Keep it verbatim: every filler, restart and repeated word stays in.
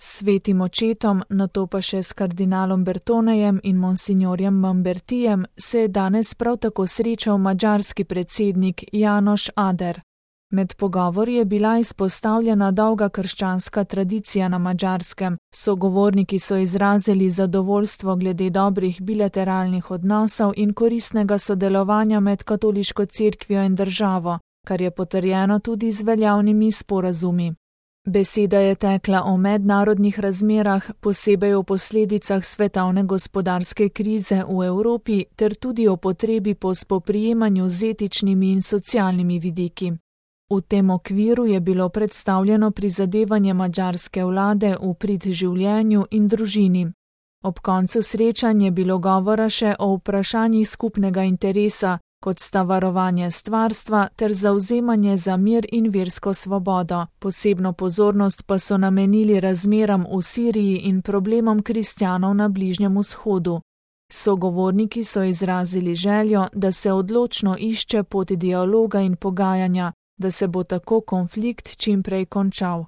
S svetim očetom, nato pa še s kardinalom Bertonejem in monsignorjem Mambertijem se je danes prav tako srečal madžarski predsednik János Áder. Med pogovori je bila izpostavljena dolga krščanska tradicija na Madžarskem, sogovorniki so izrazili zadovoljstvo glede dobrih bilateralnih odnosov in koristnega sodelovanja med katoliško cerkvijo in državo, kar je potrjeno tudi z veljavnimi sporazumi. Beseda je tekla o mednarodnih razmerah, posebej o posledicah svetovne gospodarske krize v Evropi ter tudi o potrebi po spoprijemanju z etičnimi in socialnimi vidiki. V tem okviru je bilo predstavljeno prizadevanje madžarske vlade v prid življenju in družini. Ob koncu srečanja je bilo govora še o vprašanjih skupnega interesa, kot sta varovanje stvarstva ter zavzemanje za mir in versko svobodo. Posebno pozornost pa so namenili razmeram v Siriji in problemom kristjanov na Bližnjem vzhodu. Sogovorniki so izrazili željo, da se odločno išče pot dialoga in pogajanja, da se bo tako konflikt čim prej končal.